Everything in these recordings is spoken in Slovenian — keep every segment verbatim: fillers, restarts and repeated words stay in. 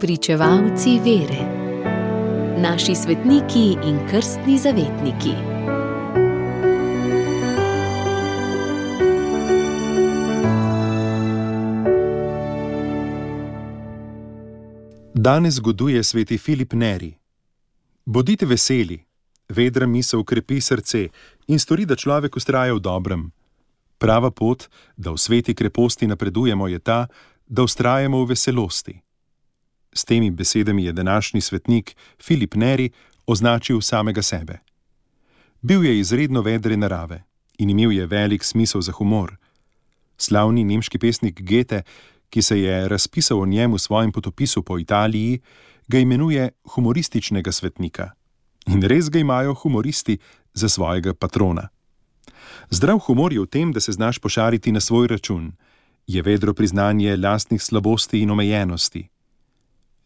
Spričevalci vere. Naši svetniki in krstni zavetniki. Danes goduje sveti Filip Neri. Bodite veseli, vedra misel krepi srce in stori, da človek vztraja v dobrem. Prava pot, da v sveti kreposti napredujemo, je ta, da vztrajamo v veselosti. S temi besedami je današnji svetnik Filip Neri označil samega sebe. Bil je izredno vedre narave in imel je velik smisel za humor. Slavni nemški pesnik Goethe, ki se je razpisal o njem v svojem potopisu po Italiji, ga imenuje humorističnega svetnika. In res ga imajo humoristi za svojega patrona. Zdrav humor je v tem, da se znaš pošariti na svoj račun, je vedro priznanje lastnih slabosti in omejenosti.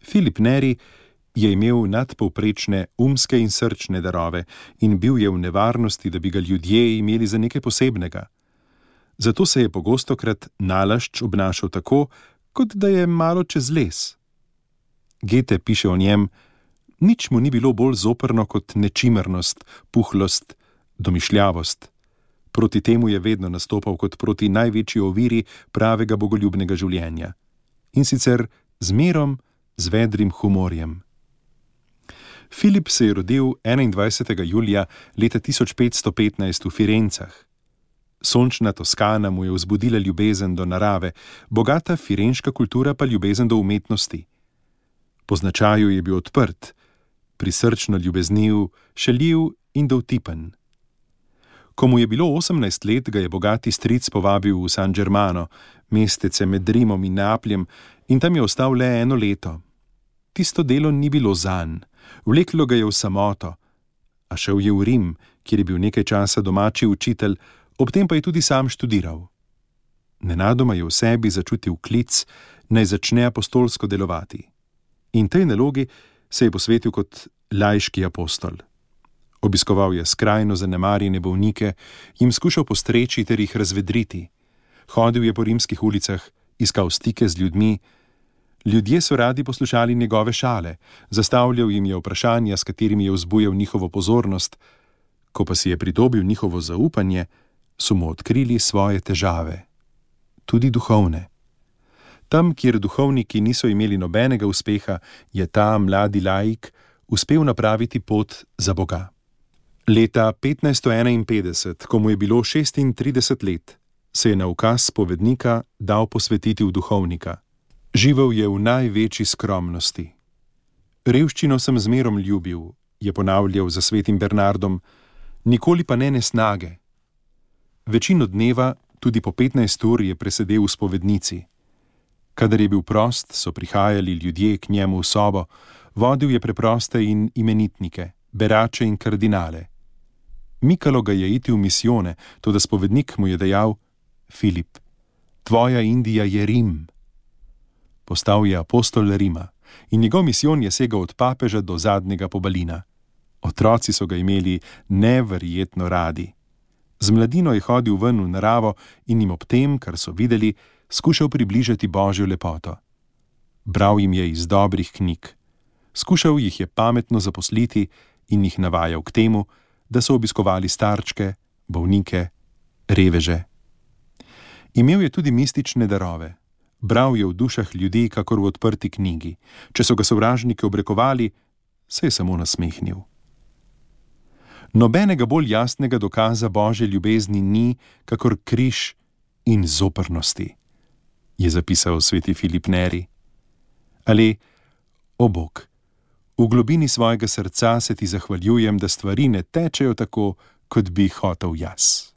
Filip Neri je imel nadpovprečne umske in srčne darove in bil je v nevarnosti, da bi ga ljudje imeli za nekaj posebnega. Zato se je pogostokrat nalašč obnašal tako, kot da je malo čez les. Goethe piše o njem: nič mu ni bilo bolj zoprno kot nečimernost, puhlost, domišljavost. Proti temu je vedno nastopal kot proti največji oviri pravega bogoljubnega življenja. In sicer z mirom, z vedrim humorjem. Filip se je rodil enaindvajsetega julija leta tisoč petsto petnajst v Firencah. Sončna Toskana mu je vzbudila ljubezen do narave, bogata firenška kultura pa ljubezen do umetnosti. Po značaju je bil odprt, prisrčno ljubezniv, šaljiv in dovtipen. Ko mu je bilo osemnajst let, ga je bogati stric povabil v San Germano, mestece med Rimom in Neapljem, in tam je ostal le eno leto. Tisto delo ni bilo zanj, vleklo ga je v samoto, a šel je v Rim, kjer je bil nekaj časa domači učitelj, ob tem pa je tudi sam študiral. Nenadoma je v sebi začutil klic, naj začne apostolsko delovati. In tej nalogi se je posvetil kot laiški apostol. Obiskoval je skrajno zanemarjene bolnike, jim skušal postreči ter jih razvedriti. Hodil je po rimskih ulicah, iskal stike z ljudmi. Ljudje so radi poslušali njegove šale, zastavljal jim je vprašanja, s katerimi je vzbujal njihovo pozornost. Ko pa si je pridobil njihovo zaupanje, so mu odkrili svoje težave, tudi duhovne. Tam, kjer duhovniki niso imeli nobenega uspeha, je ta mladi laik uspel napraviti pot za Boga. Leta petnajststo enainpetdeset, ko mu je bilo šestintrideset let, se je na ukaz spovednika dal posvetiti v duhovnika. Živel je v največji skromnosti. Revščino sem zmerom ljubil, je ponavljal za svetim Bernardom, nikoli pa ne nesnage. Večino dneva, tudi po petnajst ur, je presedel v spovednici. Kadar je bil prost, so prihajali ljudje k njemu v sobo, vodil je preproste in imenitnike, berače in kardinale. Mikalo ga je iti v misijone, toda spovednik mu je dejal: Filip, tvoja Indija je Rim. Postal je apostol Rima in njegov misijon je segal od papeža do zadnjega pobalina. Otroci so ga imeli neverjetno radi. Z mladino je hodil ven v naravo in jim ob tem, kar so videli, skušal približati Božjo lepoto. Bral jim je iz dobrih knjig. Skušal jih je pametno zaposliti in jih navajal k temu, da so obiskovali starčke, bolnike, reveže. Imel je tudi mistične darove. Bral je v dušah ljudi, kakor v odprti knjigi. Če so ga sovražniki obrekovali, se je samo nasmehnil. Nobenega bolj jasnega dokaza Božje ljubezni ni, kakor križ in zoprnosti, je zapisal sveti Filip Neri. Ali, o Bog, v globini svojega srca se ti zahvaljujem, da stvari ne tečejo tako, kot bi hotel jaz.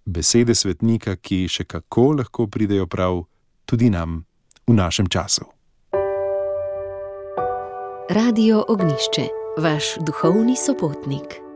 Besede svetnika, ki še kako lahko pridejo prav tudi nam v našem času. Radio Ognjišče, vaš duhovni sopotnik.